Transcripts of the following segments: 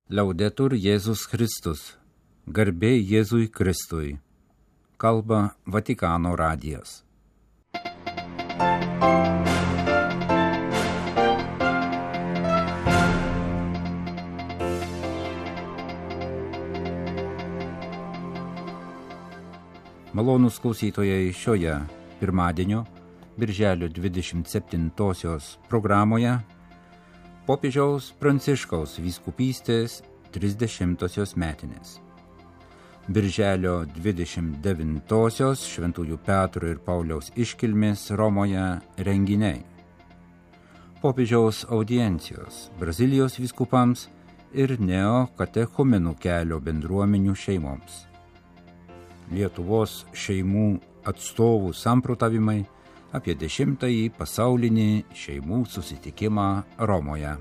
Liaudetur Jėzus Kristus, garbė Jėzui Kristui, kalba Vatikano radijas. Malonūs klausytojai, šioje pirmadienio, birželio 27-osios programoje popiežiaus Pranciškaus vyskupystės 30-osios metinės. Birželio 29-osios Šventųjų Petro ir Pauliaus iškilmės Romoje renginiai. Popiežiaus audiencijos Brazilijos vyskupams ir neokatechumenų kelio bendruomenių šeimoms. Lietuvos šeimų atstovų samprotavimai apie 10-ąjį pasaulinį šeimų susitikimą Romoje.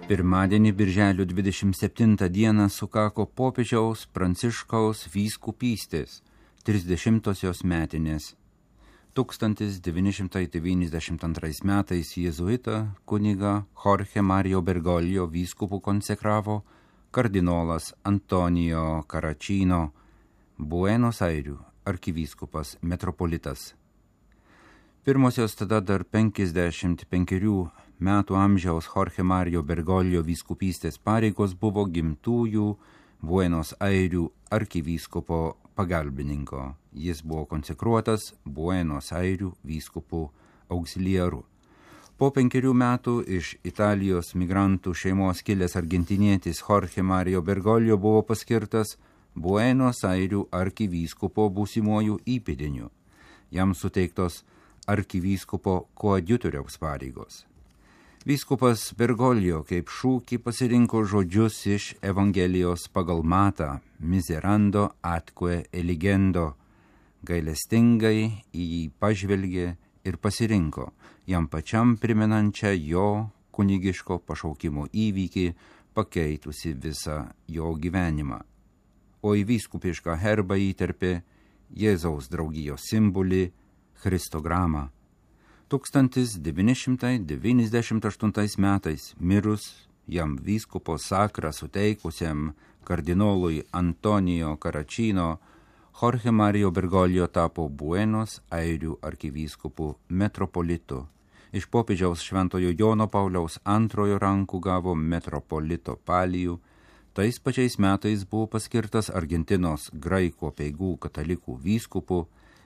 Pirmadienį birželio 27 dieną sukako popiežiaus Pranciškaus vyskupystės 30-osios metinės. 1992 metais jėzuitą kunigą Jorge Mario Bergoglio vyskupu konsekravo kardinolas Antonijo Caracino, Buenos Airių arkivyskupas metropolitas. Pirmosios tada dar 55 metų amžiaus Jorge Mario Bergoglio vyskupystės pareigos buvo gimtųjų Buenos Airių arkivyskupo pagalbininko. Jis buvo konsekruotas Buenos Airių vyskupų auxiliaru. Po 5 metų iš Italijos migrantų šeimos kilęs argentinietis Jorge Mario Bergoglio buvo paskirtas Buenos Airių arkivyskupo būsimuoju įpėdiniu. Jam suteiktos arkivyskupo koadjutoriaus pareigos. Vyskupas Bergoglio kaip šūkį pasirinko žodžius iš Evangelijos pagal Matą, miserando atque eligendo, gailestingai į jį pažvelgė ir pasirinko, jam pačiam primenančią jo kunigiško pašaukimo įvykį, pakeitusi visą jo gyvenimą. O į vyskupišką herbą įterpė Jėzaus draugijos simbolį Christogramą. 1998 metais mirus jam vyskupo sakrą suteikusiam kardinolui Antonijo Caracino, Jorge Mario Bergoglio tapo Buenos Airių arkivyskupu metropolitu. Iš popiežiaus Šventojo Jono Pauliaus II rankų gavo metropolito palijų. Tais pačiais metais buvo paskirtas Argentinos graikų apeigų katalikų vyskupu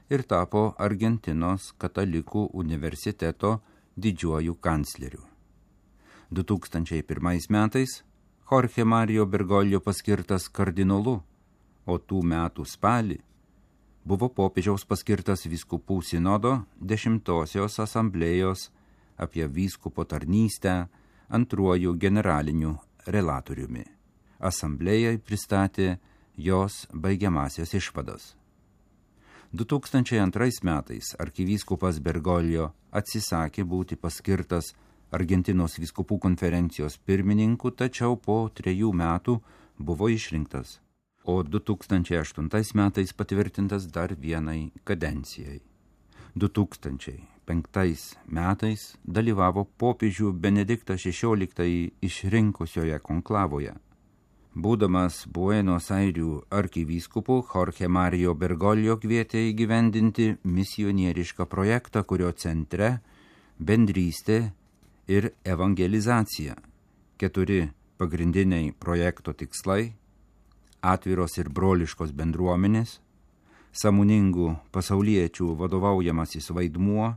ir tapo Argentinos katalikų universiteto didžiuoju kancleriu. 2001 metais Jorge Mario Bergoglio paskirtas kardinolu, o tų metų spalį buvo popiežiaus paskirtas vyskupų sinodo 10-osios asamblėjos apie vyskupo tarnystę antruoju generaliniu relatoriumi. Asamblėjai pristatė jos baigiamasias išvadas. 2002 metais arkivyskupas Bergoglio atsisakė būti paskirtas Argentinos vyskupų konferencijos pirmininku, tačiau po 3 metų buvo išrinktas, o 2008 metais patvirtintas dar vienai kadencijai. 2005 metais dalyvavo popiežių Benediktą XVI išrinkusioje konklavoje. Būdamas Buenos Airių arkivyskupu, Jorge Mario Bergoglio kvietė įgyvendinti misionierišką projektą, kurio centre bendrystė ir evangelizacija. 4 pagrindiniai projekto tikslai – atviros ir broliškos bendruomenės, sąmoningų pasauliečių vadovaujamasis vaidmuo,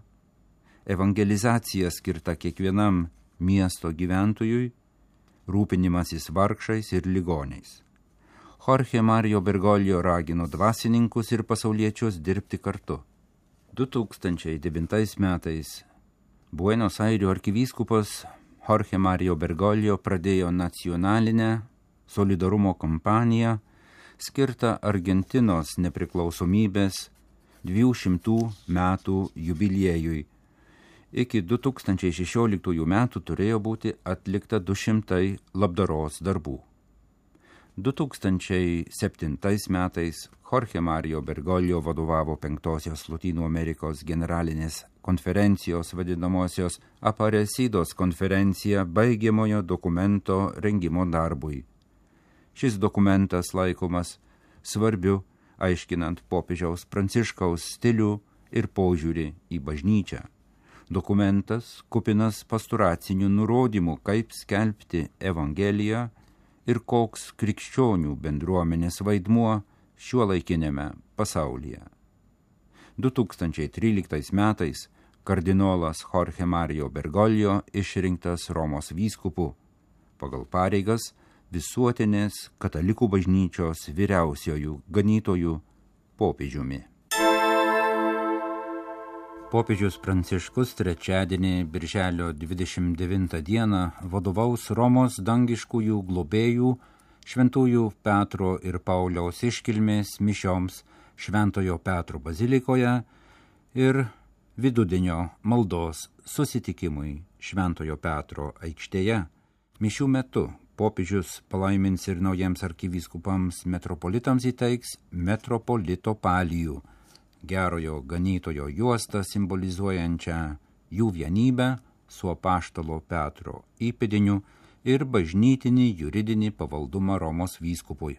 evangelizacija skirta kiekvienam miesto gyventojui, rūpinimasis vargšais ir ligoniais. Jorge Mario Bergoglio ragino dvasininkus ir pasauliečius dirbti kartu. 2009 metais Buenos Airių arkivyskupas Jorge Mario Bergoglio pradėjo nacionalinę solidarumo kampaniją skirtą Argentinos nepriklausomybės 200 metų jubiliejui. Iki 2016 metų turėjo būti atlikta 200 labdaros darbų. 2007 metais Jorge Mario Bergoglio vadovavo 5-osios Lotynų Amerikos generalinės konferencijos vadinamosios Aparecidos konferencija baigiamojo dokumento rengimo darbui. Šis dokumentas laikomas svarbiu, aiškinant popiežiaus Pranciškaus stilių ir požiūrį į bažnyčią. Dokumentas kupinas pastoracinių nurodymų, kaip skelbti Evangeliją ir koks krikščionių bendruomenės vaidmuo šiuolaikinėme pasaulyje. 2013 metais kardinolas Jorge Mario Bergoglio išrinktas Romos vyskupu, pagal pareigas visuotinės katalikų bažnyčios vyriausiojų ganytojų popiežiumi. Popiežius Pranciškus trečiadienį birželio 29 dieną vadovaus Romos dangiškųjų globėjų Šventųjų Petro ir Pauliaus iškilmės mišioms Šventojo Petro bazilikoje ir vidudienio maldos susitikimui Šventojo Petro aikštėje. Mišių metu popiežius palaimins ir naujiems arkivyskupams metropolitams įteiks metropolito palijų, gerojo ganytojo juostą simbolizuojančią jų vienybę su apaštalo Petro įpėdiniu ir bažnytinį juridinį pavaldumą Romos vyskupui.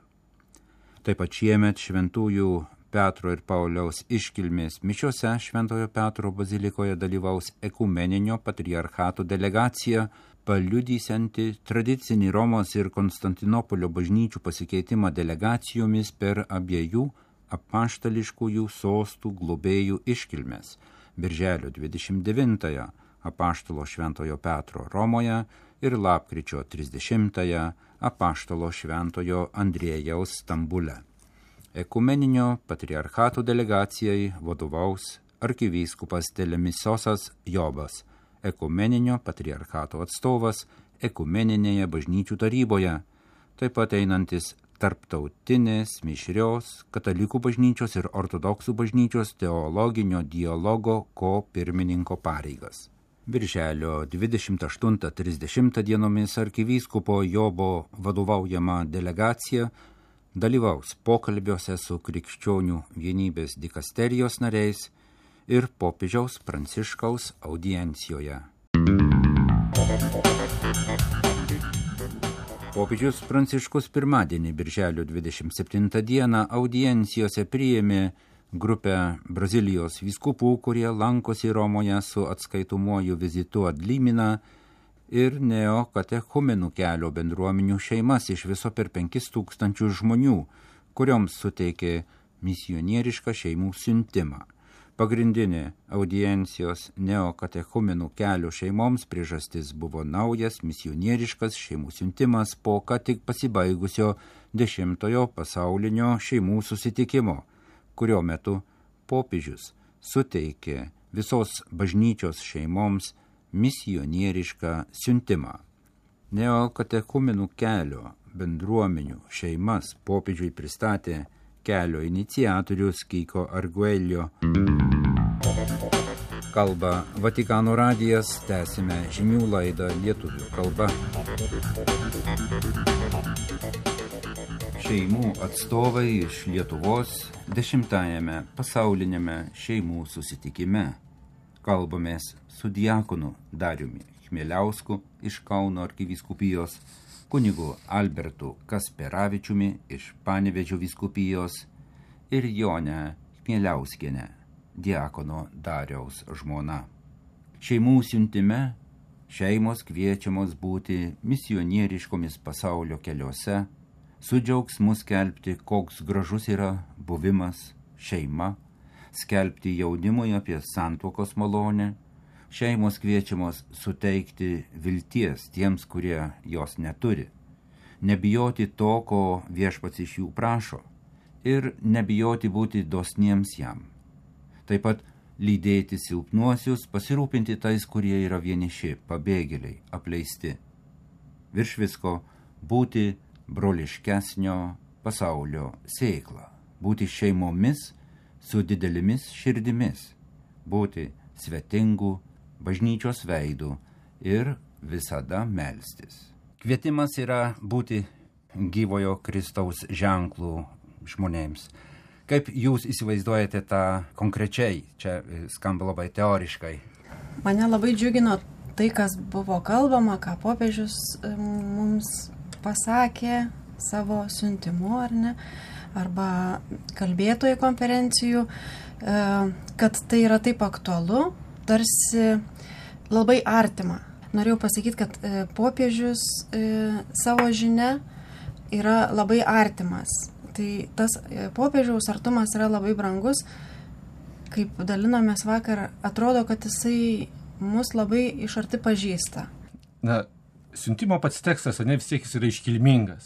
Taip pat šiemet Šventųjų Petro ir Pauliaus iškilmės mišiose Šventojo Petro bazilikoje dalyvaus ekumeninio patriarchato delegacija, paliudysianti tradicinį Romos ir Konstantinopolio bažnyčių pasikeitimą delegacijomis per abiejų apaštališkųjų sostų globėjų iškilmes birželio 29 apaštalo Šventojo Petro Romoje ir lapkričio 30 apaštalo Šventojo Andriejaus Stambule. Ekumeninio patriarchato delegacijai vadovaus arkivyskupas Telemisosas Jobas, ekumeninio patriarchato atstovas ekumeninėje bažnyčių taryboje, taip pat einantis tarptautinės mišrios katalikų bažnyčios ir ortodoksų bažnyčios teologinio dialogo pirmininko pareigas. Birželio 28-30 dienomis arkivyskupo Jobo vadovaujama delegacija dalyvaus pokalbiuose su krikščionių vienybės dikasterijos nariais ir popiežiaus Pranciškaus audiencijoje. Popiežius Pranciškus pirmadienį, birželio 27 dieną, audiencijoje priėmė grupę Brazilijos vyskupų, kurie lankosi Romoje su atskaitomuoju vizitu ad limina ir neokatechumenų kelio bendruomenių šeimas iš viso per 5000 žmonių, kurioms suteikė misionierišką šeimų siuntimą. Pagrindinė audiencijos neokatechumenų kelio šeimoms priežastis buvo naujas misionieriškas šeimų siuntimas po ką tik pasibaigusio 10-ojo pasaulinio šeimų susitikimo, kurio metu popiežius suteikė visos bažnyčios šeimoms misionierišką siuntimą. Neokatechumenų kelio bendruomenių šeimas popiežiui pristatė kelio iniciatorius Kiko Arguelio. Kalba Vatikano radijas, tęsime žinių laidą lietuvių kalba. Šeimų atstovai iš Lietuvos 10-ajame pasauliniame šeimų susitikime. Kalbamės su diakonu Dariumi Chmieliausku iš Kauno arkivyskupijos, kunigu Albertu Kasperavičiumi iš Panevėžio vyskupijos ir Jonę Chmieliauskienę, diakono Dariaus žmona. Šeimų siuntime šeimos kviečiamos būti misionieriškomis pasaulio keliuose, su džiaugsmu skelbti, koks gražus yra buvimas šeima, skelbti jaunimui apie santuokos malonę, šeimos kviečiamos suteikti vilties tiems, kurie jos neturi, nebijoti to, ko viešpats iš jų prašo, ir nebijoti būti dosniems jam. Taip pat lydėti silpnuosius, pasirūpinti tais, kurie yra vieniši, pabėgėliai, apleisti. Virš visko būti broliškesnio pasaulio sėkla, būti šeimomis su didelėmis širdimis, būti svetingų bažnyčios veidų ir visada melstis. Kvietimas yra būti gyvojo Kristaus ženklų žmonėms. Kaip jūs įsivaizduojate tą konkrečiai? Čia skamba labai teoriškai. Mane labai džiugino tai, kas buvo kalbama, ką popiežius mums pasakė savo siuntimu, ar ne, arba kalbėtojų konferencijų, kad tai yra taip aktualu, tarsi labai artima. Norėjau pasakyti, kad popiežius savo žinia yra labai artimas. Tai tas popiežiaus artumas yra labai brangus. Kaip dalinomės vakar, atrodo, kad jisai mus labai iš arti pažįsta. Na, siuntimo pats tekstas, vis tiek jis yra iškilmingas,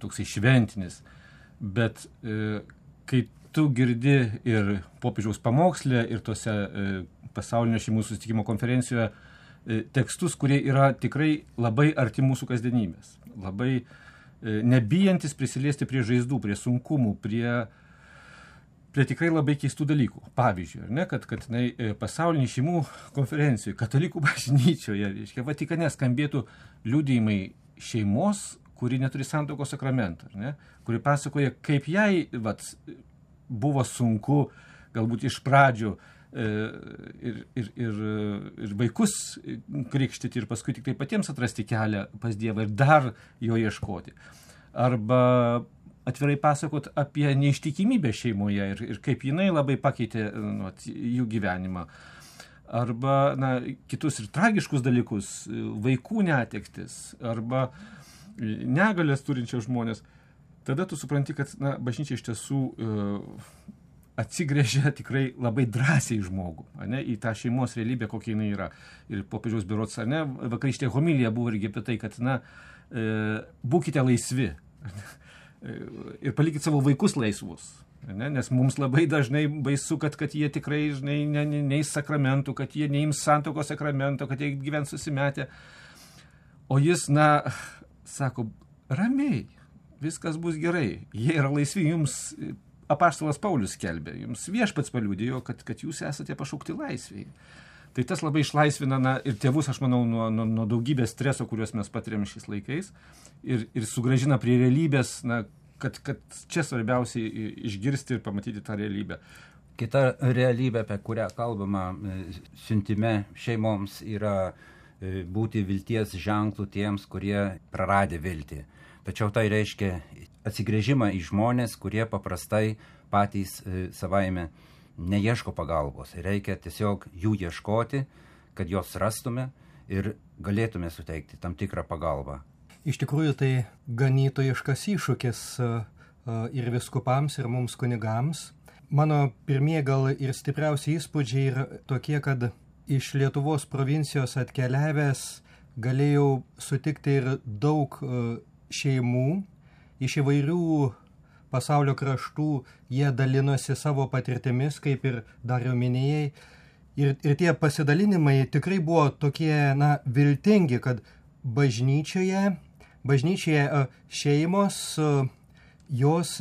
toksai šventinis, bet kai tu girdi ir popiežiaus pamokslę, ir tose pasaulinio šeimų susitikimo konferencijoje tekstus, kurie yra tikrai labai arti mūsų kasdienybės, labai nebijantis prisiliesti prie žaizdų, prie sunkumų, prie tikrai labai keistų dalykų. Pavyzdžiui, ar ne, kad pasaulinį šeimų konferencijoje, katalikų bažnyčioje, Vatikane skambėtų liudijimai šeimos, kuri neturi santuokos sakramento, kuri pasakoja, kaip jai buvo sunku galbūt iš pradžių ir vaikus krikštyti ir paskui tik tai patiems atrasti kelią pas Dievą ir dar jo ieškoti. Arba atvirai pasakot apie neištikimybę šeimoje ir kaip jinai labai pakeitė jų gyvenimą. Arba kitus ir tragiškus dalykus, vaikų netektis, arba negalės turinčios žmonės. Tada tu supranti, kad bažnyčia iš tiesų atsigręžia tikrai labai drąsiai žmogų, į tą šeimos realybę, kokia jinai yra. Ir popiežiaus berods, vakarykštė homilija buvo irgi apie tai, kad būkite laisvi ir palikit savo vaikus laisvus. Nes mums labai dažnai baisu, kad jie tikrai neis sakramentų, kad jie neims santuokos sakramento, kad jie gyvens susimetę. O jis, sako, ramiai, viskas bus gerai, jie yra laisvi, jums apaštalas Paulius skelbė, jums viešpats paliudijo, kad jūs esate pašaukti laisviai. Tai tas labai išlaisvina ir tėvus, aš manau, nuo daugybės streso, kuriuos mes patiriam šiais laikais, ir sugrąžina prie realybės, kad čia svarbiausiai išgirsti ir pamatyti tą realybę. Kita realybė, apie kurią kalbama siuntime šeimoms, yra būti vilties ženklų tiems, kurie praradė viltį. Tačiau tai reiškia atsigręžimą į žmonės, kurie paprastai patys savaime neieško pagalbos. Reikia tiesiog jų ieškoti, kad jos rastume ir galėtume suteikti tam tikrą pagalbą. Iš tikrųjų tai ganytojiškas iššūkis ir viskupams, ir mums kunigams. Mano pirmieji gal ir stipriausi įspūdžiai yra tokie, kad iš Lietuvos provincijos atkeliavęs galėjau sutikti ir daug šeimų, iš įvairių pasaulio kraštų jie dalinosi savo patirtimis, kaip ir dar jau minėjai. Ir tie pasidalinimai tikrai buvo tokie, viltingi, kad bažnyčioje šeimos, jos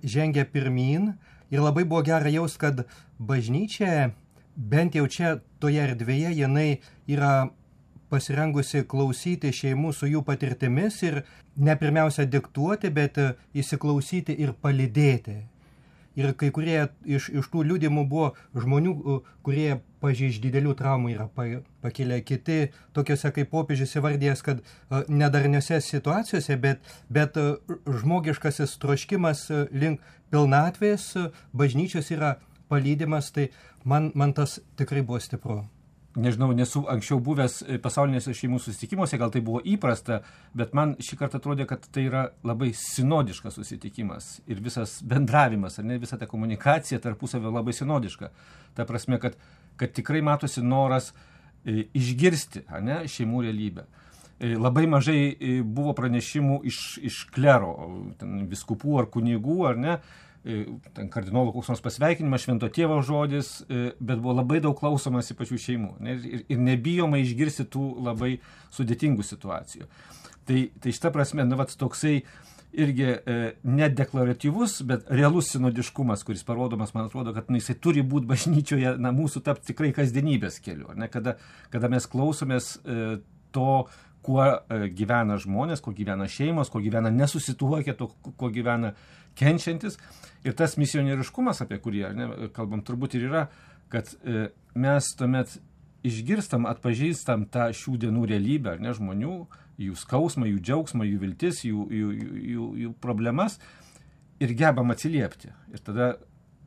žengia pirmyn ir labai buvo gera jaust, kad bažnyčia, bent jau čia toje erdvėje, jinai yra pasirengusi klausyti šeimų su jų patirtimis ir ne pirmiausia diktuoti, bet įsiklausyti ir palydėti. Ir kai kurie iš tų liudimų buvo žmonių, kurie iš didelių traumų yra pakilę, kiti tokiuose kaip popiežius įvardėjęs, kad nedarniuose situacijose, bet žmogiškasis troškimas link pilnatvės bažnyčios yra palydimas, tai man tas tikrai buvo stipru. Nežinau, nesu anksčiau buvęs pasaulinėse šeimų susitikimuose, gal tai buvo įprasta, bet man šį kartą atrodė, kad tai yra labai sinodiškas susitikimas ir visas bendravimas, visa ta komunikacija tarpusavio labai sinodiška. Ta prasme, kad tikrai matosi noras išgirsti šeimų realybę. Labai mažai buvo pranešimų iš klero, viskupų ar kunigų, ten kardinolo koks nors pasveikinimas, švento tėvo žodis, bet buvo labai daug klausomasi pačių šeimų ir nebijoma išgirsti tų labai sudėtingų situacijų. Tai šita prasme, toksai irgi nedeklaratyvus, bet realus sinodiškumas, kuris parodomas, man atrodo, kad jisai turi būti bažnyčioje, mūsų tapti tikrai kasdienybės keliu, kada mes klausomės to, kuo gyvena žmonės, kuo gyvena šeimos, kuo gyvena nesusituokę, kuo gyvena kenčiantis. Ir tas misionieriškumas, apie kurį kalbam, turbūt ir yra, kad mes tuomet išgirstam, atpažįstam tą šių dienų realybę, žmonių, jų skausmą, jų džiaugsmą, jų viltis, jų problemas ir gebam atsiliepti. Ir tada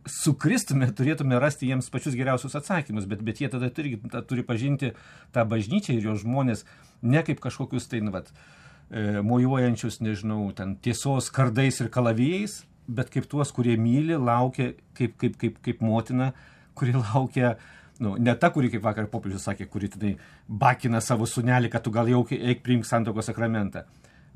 su Kristumi turėtume rasti jiems pačius geriausius atsakymus, bet jie tada turi pažinti tą bažnyčią ir jos žmonės ne kaip kažkokius mojuojančius, ten tiesos kardais ir kalavijais, bet kaip tuos, kurie myli, laukia kaip motina, kuri laukia, ne ta, kuri, kaip vakar popiežius sakė, kuri bakina savo sūnelį, kad tu gal jau eik priimk santuokos sakramentą,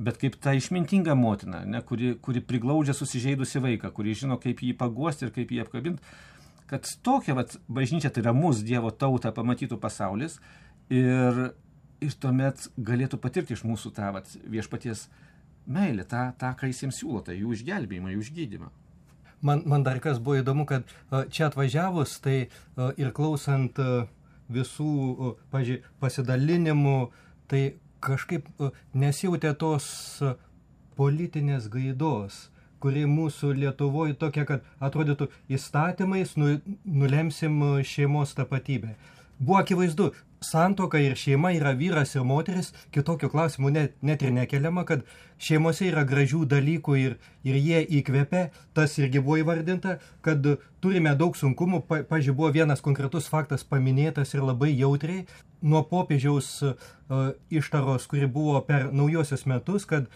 bet kaip ta išmintinga motina, kuri priglaudžia susižeidusi vaiką, kuri žino, kaip jį paguosti ir kaip jį apkabinti, kad tokia bažnyčia, tai yra mūsų Dievo tautą pamatytų pasaulis ir tuomet galėtų patirti iš mūsų tą viešpaties meilę, tą, ką jis jiems siūlo, tai jų išgelbėjimą, jų išgydymą. Man dar kas buvo įdomu, kad čia atvažiavus, tai ir klausant visų, pasidalinimų, tai kažkaip nesijautė tos politinės gaidos, kuri mūsų Lietuvoje tokia, kad atrodytų įstatymais nulemsim šeimos tapatybę. Buvo akivaizdu, santuoka ir šeima yra vyras ir moteris, kitokių klausimų net ir nekeliama, kad šeimose yra gražių dalykų ir jie įkvepia, tas irgi buvo įvardinta, kad turime daug sunkumų, pavyzdžiui, buvo vienas konkretus faktas paminėtas ir labai jautriai, nuo popiežiaus ištaros, kuri buvo per naujosius metus, kad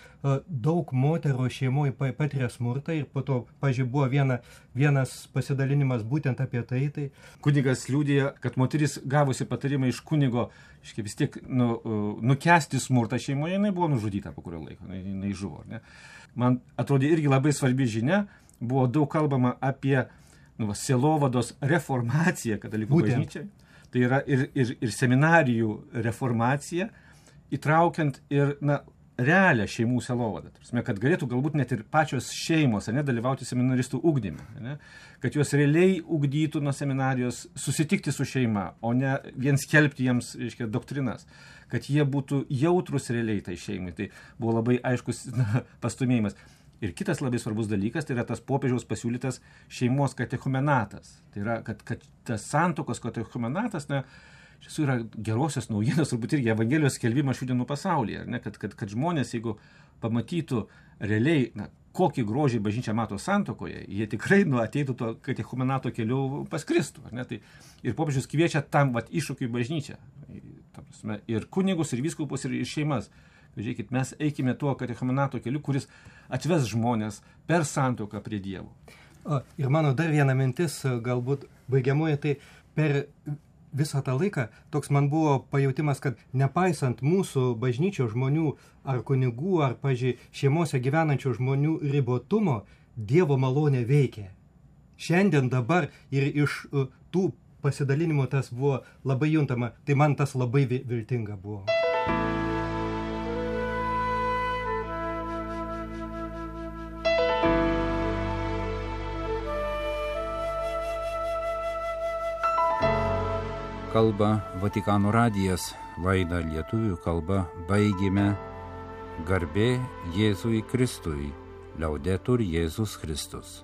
daug moterų šeimoje patiria smurtą ir po to, pavyzdžiui, buvo vienas pasidalinimas būtent apie tai. Kunigas liudija, kad moteris gavusi patarimą iš kunigo, vis tiek nukęsti smurtą šeimoje, jinai buvo nužudyta po kurio laiko, jinai žuvo. Ne? Man atrodė irgi labai svarbi žinia, buvo daug kalbama apie sielovados reformaciją katalikų bažnyčiai. Tai yra ir seminarijų reformacija, įtraukiant ir realią šeimų sielovadą. Kad galėtų galbūt net ir pačios šeimos dalyvauti seminaristų ugdyme. Kad juos realiai ugdytų nuo seminarijos susitikti su šeima, o ne vien skelbti jiems doktrinas. Kad jie būtų jautrus realiai tai šeimai. Tai buvo labai aiškus pastumėjimas. Ir kitas labai svarbus dalykas, tai yra tas popiežiaus pasiūlytas šeimos katechumenatas. Tai yra, kad tas santuokos katechumenatas, šis yra gerosios naujienos, turbūt irgi Evangelijos skelbimas šių dienų pasaulyje. Kad žmonės, jeigu pamatytų realiai, kokį grožį bažnyčia mato santuokoje, jie tikrai ateitų to katechumenato keliu pas Kristų. Tai ir popiežius kviečia tam iššūkiui bažnyčią. Ir kunigus, ir vyskupus, ir šeimas. Žiūrėkit, mes eikime tuo katechumenato keliu, kuris atves žmonės per santuoką prie Dievo. Ir mano dar viena mintis, galbūt baigiamoji, tai per visą tą laiką toks man buvo pajautimas, kad nepaisant mūsų bažnyčios žmonių ar kunigų, ar, šeimose gyvenančių žmonių ribotumo, Dievo malonė veikia. Šiandien dabar ir iš tų pasidalinimų tas buvo labai juntama, tai man tas labai viltinga buvo. Kalba Vatikano radijas, laidą lietuvių kalba baigėme. Garbė Jėzui Kristui, Liaudetur Jėzus Kristus.